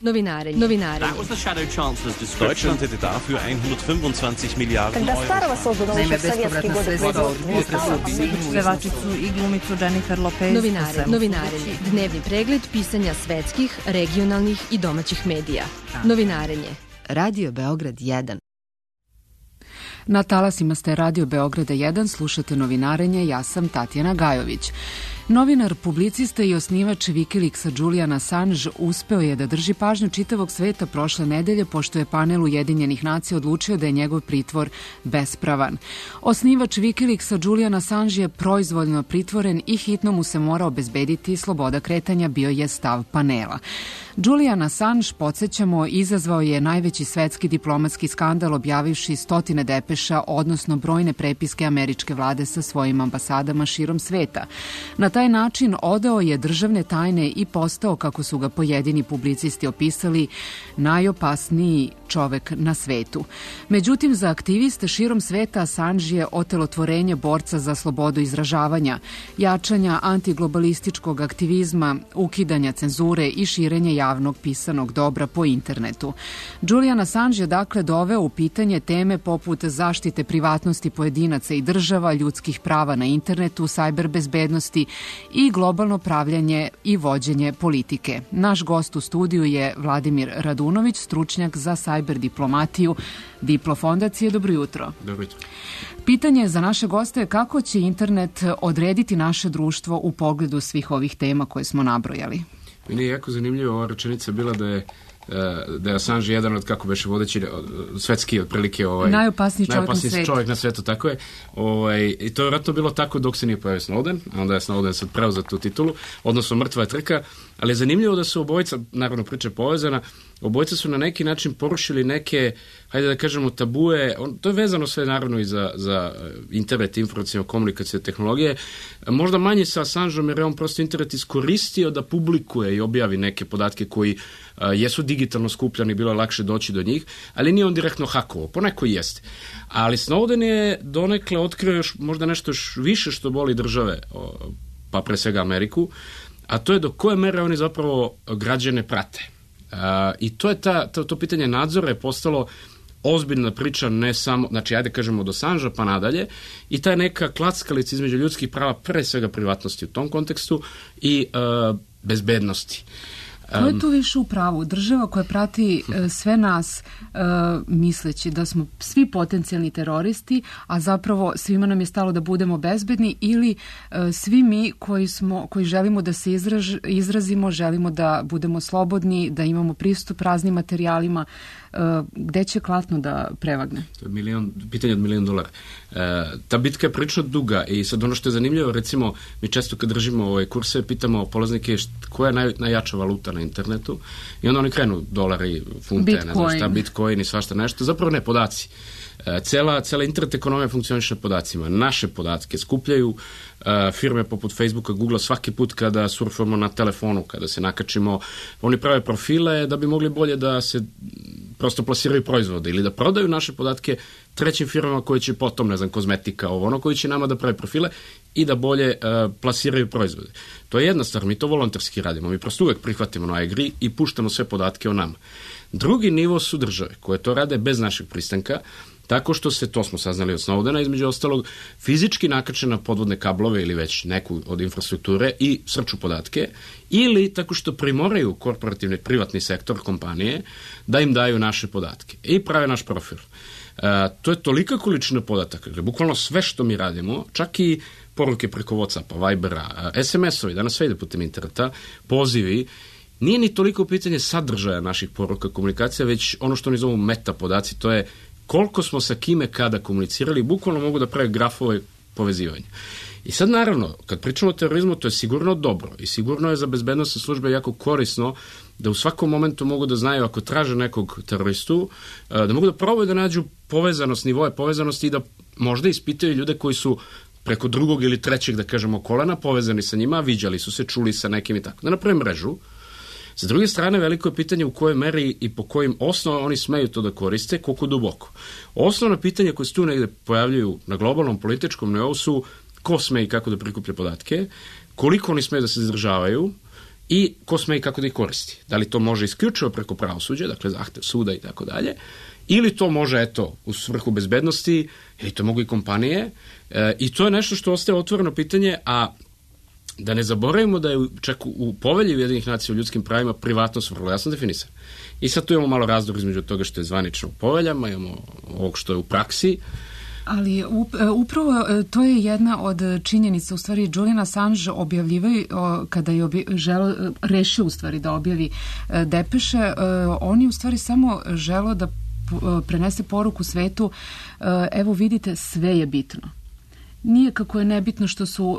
Novinarenje. That was the Shadow Chancellor's description. Deutschland hätte dafür 125 Milijarden Когда Euro. старого создано уже советский год Pevačicu i glumicu Jennifer Lopez. Novinarenje. Dnevni pregled pisanja svetskih, regionalnih i domaćih medija. Novinarenje. Radio Beograd 1. Na talasima ste Radio Beograda 1, slušate Novinarenje, ja sam Tatjana Gajović. Novinar, publicista i osnivač Wikileaksa Julian Assange uspeo je da drži pažnju čitavog sveta prošle nedelje, pošto je panel Ujedinjenih nacija odlučio da je njegov pritvor bespravan. Osnivač Wikileaksa Julian Assange je proizvoljno pritvoren i hitno mu se mora obezbediti sloboda kretanja, bio je stav panela. Julian Assange, podsjećamo, izazvao je najveći svetski diplomatski skandal objavivši stotine depeša, odnosno brojne prepiske američke vlade sa svojim ambasadama širom sveta. Na taj način odao je državne tajne i postao, kako su ga pojedini publicisti opisali, najopasniji čovek na svetu. Međutim, za aktiviste širom sveta Assange je otelotvorenje borca za slobodu izražavanja, jačanja antiglobalističkog aktivizma, ukidanja cenzure i širenje javnog pisanog dobra po internetu. Julian Assange je dakle doveo u pitanje teme poput zaštite privatnosti pojedinaca i država, ljudskih prava na internetu, sajber bezbednosti i globalno pravljanje i vođenje politike. Naš gost u studiju je Vladimir Radunović, stručnjak za sajber diplomatiju Diplo fondacije. Dobro jutro. Dobro jutro. Pitanje za naše goste je kako će internet odrediti naše društvo u pogledu svih ovih tema koje smo nabrojali. Meni je jako zanimljiva ova rečenica bila da je Assange jedan od, kako beše, vodeći svetski otprilike najopasniji čovjek na svetu, tako je. I to je vjerojatno bilo tako dok se nije pojavio Snowden, a onda je Snowden sad preuzeo tu titulu, odnosno mrtva je trka, ali je zanimljivo da su obojica, naravno priča je povezana, obojica su na neki način porušili neke, hajde da kažemo, tabue, to je vezano sve naravno i za internet, informacijno komunikacije, tehnologije, možda manje sa Assangeom jer je on prosto internet iskoristio da publikuje i objavi neke podatke koji jesu digitalno skupljani, bilo je lakše doći do njih, ali nije on direktno hakovao, poneko i jeste. Ali Snowden je donekle otkrio još možda nešto još više što boli države, pa pre svega Ameriku, a to je do koje mere oni zapravo građane prate. I to je to pitanje nadzora je postalo ozbiljna priča, ne samo, znači ajde kažemo od Assangea pa nadalje, i ta neka klackalica između ljudskih prava, pre svega privatnosti u tom kontekstu i bezbednosti. Ko je tu više u pravu? Država koja prati sve nas misleći da smo svi potencijalni teroristi, a zapravo svima nam je stalo da budemo bezbedni, ili svi mi koji želimo da se izrazimo, želimo da budemo slobodni, da imamo pristup raznim materijalima, gde će klatno da prevagne? To je pitanje od $1.000.000. Ta bitka je prilično duga i sad ono što je zanimljivo, recimo mi često kad držimo kurse pitamo polaznike koja je najjača valuta na internetu i onda oni krenu dolari, funte, Bitcoin. Ne znam šta, Bitcoin i svašta nešto, zapravo ne, podaci. Cela internet ekonomija funkcioniše na podacima. Naše podatke skupljaju firme poput Facebooka, Googlea svaki put kada surfamo na telefonu, kada se nakačimo, oni prave profile da bi mogli bolje da se prosto plasiraju proizvode ili da prodaju naše podatke trećim firmama koje će potom, ne znam, kozmetika, koji će nama da prave profile i da bolje plasiraju proizvode. To je jedna stvar, mi to volonterski radimo, mi prosto uvek prihvatimo na igri i puštamo sve podatke o nama. Drugi nivo su države koje to rade bez našeg pristanka, tako što se, to smo saznali od Snowdena, između ostalog, fizički nakače na podvodne kablove ili već neku od infrastrukture i srču podatke, ili tako što primoraju korporativni privatni sektor kompanije da im daju naše podatke i prave naš profil. To je tolika količina podataka, dakle, bukvalno sve što mi radimo, čak i poruke preko Whatsappa, Vibera, SMS-ovi, danas sve ide putem interneta, pozivi, nije ni toliko pitanje sadržaja naših poruka komunikacija, već ono što oni zovu meta podaci, to je koliko smo sa kime kada komunicirali, bukvalno mogu da prave grafove povezivanja. I sad naravno, kad pričamo o terorizmu, to je sigurno dobro i sigurno je za bezbednosne službe jako korisno da u svakom momentu mogu da znaju ako traže nekog teroristu, da mogu da probaju da nađu povezanost, nivoje povezanosti i da možda ispitaju ljude koji su preko drugog ili trećeg, da kažemo, kolena povezani sa njima, viđali su se, čuli sa nekim i tako. Da naprave mrežu. Sa druge strane, veliko je pitanje u kojoj meri i po kojim osnovama oni smeju to da koriste, koliko duboko. Osnovna pitanja koje se tu negde pojavljaju na globalnom političkom nivou su ko sme i kako da prikuplja podatke, koliko oni smeju da se izdržavaju i ko sme i kako da ih koristi. Da li to može isključivo preko pravosuđa, dakle zahtev suda i tako dalje, ili to može, eto, u svrhu bezbednosti, ili to mogu i kompanije, i to je nešto što ostaje otvoreno pitanje, a da ne zaboravimo da je čak u povelji Ujedinjenih nacija o ljudskim pravima privatnost vrlo jasno definisana. I sad tu imamo malo razdor između toga što je zvanično u poveljama, imamo ovog što je u praksi. Ali upravo to je jedna od činjenica, u stvari Julian Assange objavljivaju, kada je rešio u stvari da objavi depeše, on je u stvari samo želeo da prenese poruku svetu, evo vidite, sve je bitno. Nije kako je nebitno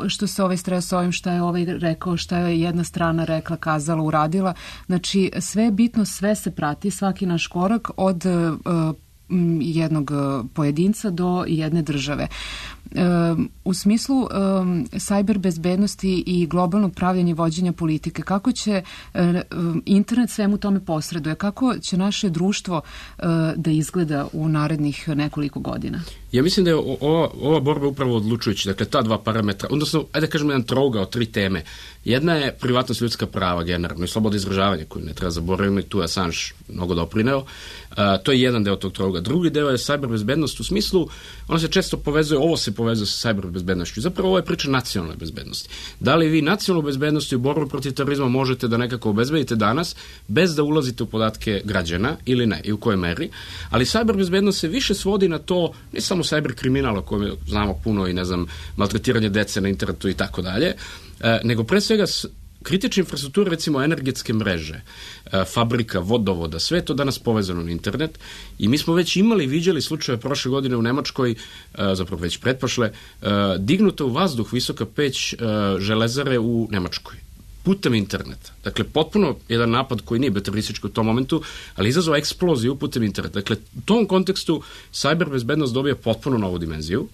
što se ovaj stres ovim, šta je ovaj rekao, šta je jedna strana rekla, kazala, uradila. Znači, sve je bitno, sve se prati, svaki naš korak od jednog pojedinca do jedne države. U smislu sajber bezbednosti i globalnog pravljenja i vođenja politike, kako će internet svemu tome posreduje? Kako će naše društvo da izgleda u narednih nekoliko godina? Ja mislim da je ova borba upravo odlučujući. Dakle, ta dva parametra, odnosno, ajde da kažemo jedan trougao, 3 teme. Jedna je privatnost, ljudska prava generalno i sloboda izražavanja koju ne treba zaboraviti, tu je Assange mnogo doprineo. To je jedan deo tog trouga. Drugi deo je sajber bezbednost u smislu, ono se često povezuje, ovo se povezuje sa sajber bezbednošću. Zapravo ovo je priča nacionalne bezbednosti. Da li vi nacionalnu bezbednost i borbu protiv terorizma možete da nekako obezbedite danas bez da ulazite u podatke građana ili ne i u kojoj meri, ali sajber bezbednost se više svodi na to, ne samo sajber kriminal o kojem znamo puno i ne znam, maltretiranje dece na internetu i tako dalje, nego pre svega kritične infrastrukture, recimo energetske mreže, fabrika, vodovoda, sve je to danas povezano na internet i mi smo već viđali slučaje prošle godine u Nemačkoj, zapravo već pretprošle, dignuta u vazduh visoka peć železare u Nemačkoj putem interneta. Dakle, potpuno jedan napad koji nije teroristički u tom momentu, ali izazvao eksploziju putem interneta. Dakle, u tom kontekstu sajber bezbednost dobija potpuno novu dimenziju,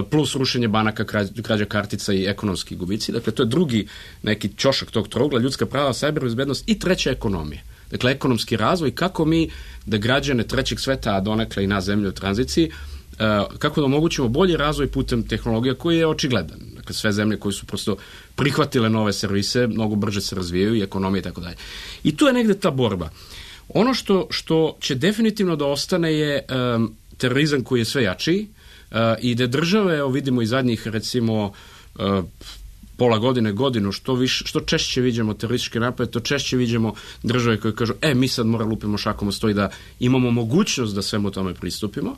plus rušenje banaka, krađa kartica i ekonomski gubici. Dakle, to je drugi neki ćošak tog trougla, ljudska prava, sajber bezbednost i treća ekonomija. Dakle, ekonomski razvoj, kako mi da građane trećeg sveta, a donekle i na zemlju u tranziciji, kako da omogućimo bolji razvoj putem tehnologija koji je očigledan. Dakle, sve zemlje koje su prosto prihvatile nove servise, mnogo brže se razvijaju i ekonomije i tako dalje. I tu je negde ta borba. Ono što će definitivno da ostane je terorizam koji je sve jačiji i da države, evo vidimo i zadnjih recimo pola godine, godinu, što češće vidimo terorističke napade, to češće vidimo države koje kažu, mi sad mora lupimo šakom o sto i da imamo mogućnost da svemu tome pristupimo.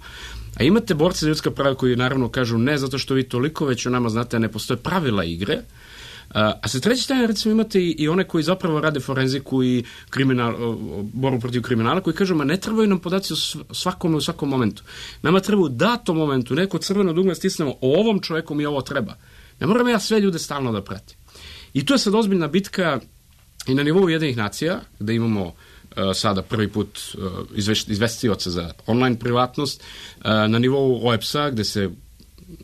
A imate borce za ljudska prava koji naravno kažu ne zato što vi toliko već o nama znate, ne postoje pravila igre. A sa treće strane recimo imate i one koji zapravo rade forenziku i borbu protiv kriminala koji kažu, ne trebaju nam podaci o svakome u svakom momentu. Nama treba u datom momentu neko crveno dugme stisnemo, o ovom čoveku mi ovo treba. Ne moram ja sve ljude stalno da pratim. I tu je sad ozbiljna bitka i na nivou Ujedinjenih nacija, gde imamo sada prvi put izvestioca za online privatnost, na nivou OEBS-a, gde se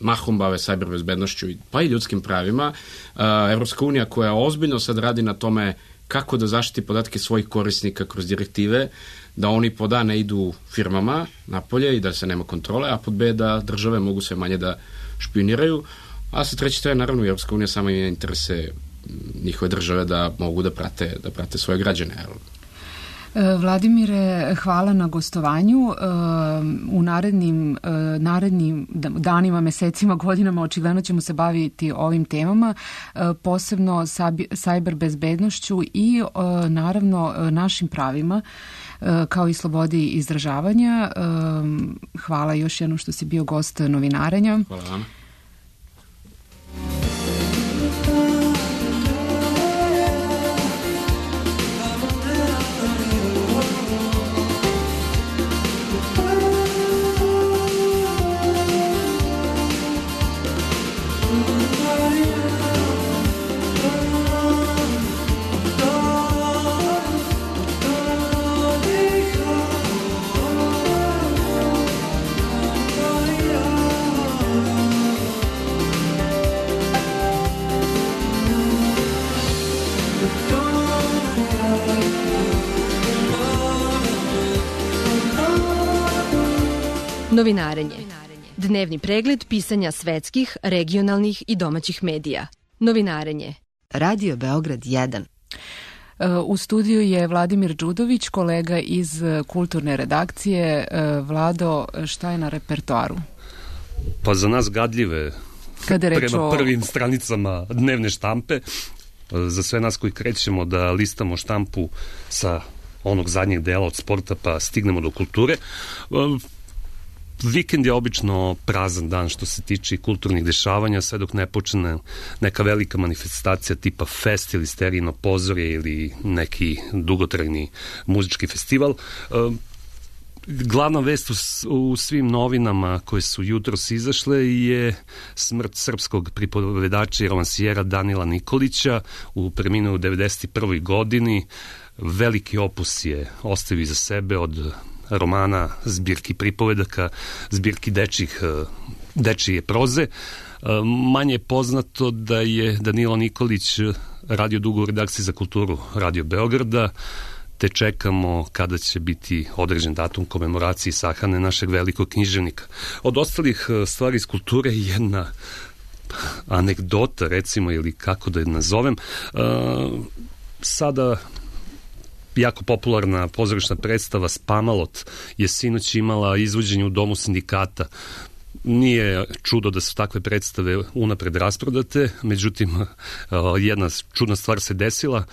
mahom bave sajber bezbednošću pa i ljudskim pravima, Evropska unija koja ozbiljno sad radi na tome kako da zaštiti podatke svojih korisnika kroz direktive, da oni pod A ne idu firmama napolje i da se nema kontrole, a pod B da države mogu sve manje da špioniraju, a sa treće strane naravno Evropska unija sama ima interese njihove države da mogu da prate svoje građane. Vladimire, hvala na gostovanju. U narednim danima, mesecima, godinama očigledno ćemo se baviti ovim temama, posebno sajber bezbednošću i naravno našim pravima kao i slobodi izražavanja. Hvala još jednom što si bio gost Novinarenja. Hvala vam. Novinarenje. Dnevni pregled pisanja svetskih, regionalnih i domaćih medija. Novinarenje. Radio Beograd 1. U studiju je Vladimir Đudović, kolega iz kulturne redakcije. Vlado, šta je na repertoaru? Pa za nas gadljive, prema prvim stranicama dnevne štampe, za sve nas koji krećemo da listamo štampu sa onog zadnjeg dela od sporta pa stignemo do kulture. Vikend je obično prazan dan što se tiče kulturnih dešavanja, sve dok ne počne neka velika manifestacija tipa fest ili sterijino pozorje ili neki dugotrajni muzički festival. Glavna vest u svim novinama koje su jutros izašle je smrt srpskog pripovedača i romansijera Danila Nikolića u preminuo u 91. godini. Veliki opus je ostavio iza sebe od romana, zbirki pripovedaka, zbirki dečije proze. Manje je poznato da je Danilo Nikolić radio dugo u redakciji za kulturu Radio Beograda, te čekamo kada će biti određen datum komemoracije sahrane našeg velikog književnika. Od ostalih stvari iz kulture jedna anegdota, recimo, ili kako da je nazovem. Sada jako popularna pozorišna predstava Spamalot je sinoć imala izvođenje u Domu sindikata. Nije čudo da su takve predstave unapred rasprodate, međutim jedna čudna stvar se desila.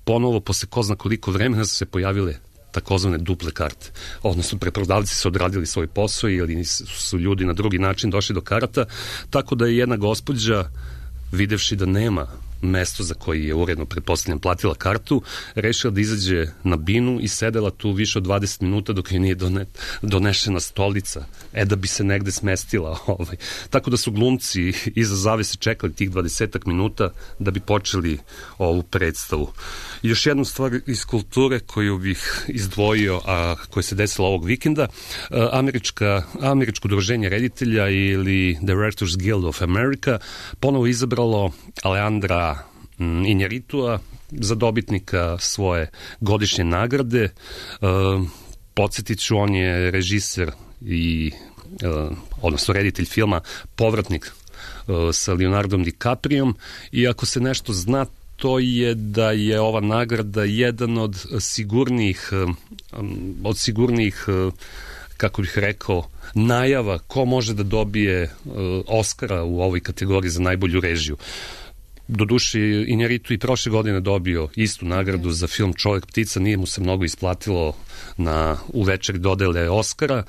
Ponovo, posle ko zna koliko vremena, su se pojavile takozvane duple karte. Odnosno, preprodavci su odradili svoj posao ili su ljudi na drugi način došli do karata, tako da je jedna gospođa, videvši da nema mesto za koji je uredno, pretpostavljam, platila kartu, rešila da izađe na binu i sedela tu više od 20 minuta dok joj nije donešena stolica, da bi se negde smestila. Tako da su glumci iza zavese čekali tih 20 minuta da bi počeli ovu predstavu. I još jednu stvar iz kulture koju bih izdvojio, a koja se desila ovog vikenda, Američko udruženje reditelja ili Directors Guild of America ponovo izabralo Alejandra Injaritua za dobitnika svoje godišnje nagrade. Podsjetit ću, on je režiser i odnosno reditelj filma Povratnik sa Leonardom DiCapriom, i ako se nešto zna, to je da je ova nagrada jedan od sigurnijih kako bih rekao, najava ko može da dobije Oscara u ovoj kategoriji za najbolju režiju. Doduše, Injaritu i prošle godine dobio istu nagradu za film Čovek ptica, nije mu se mnogo isplatilo u večeri dodele Oscara,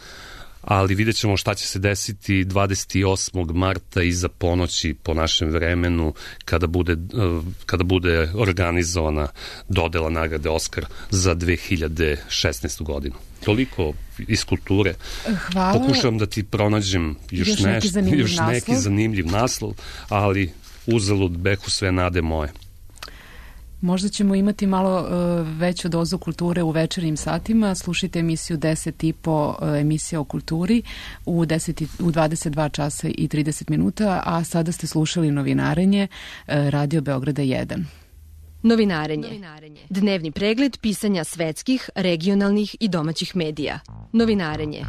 ali vidjet ćemo šta će se desiti 28. marta iza ponoći po našem vremenu kada bude organizovana dodela nagrade Oskar za 2016. godinu. Toliko iz kulture. Hvala. Pokušavam da ti pronađem još neki zanimljiv naslov, ali uzalud behu sve nade moje. Možda ćemo imati malo veću dozu kulture u večernjim satima. Slušajte emisiju 10.5, emisija o kulturi u 22 časa i 30 minuta, a sada ste slušali Novinarenje Radio Beograda 1. Novinarenje. Dnevni pregled pisanja svetskih, regionalnih i domaćih medija. Novinarenje.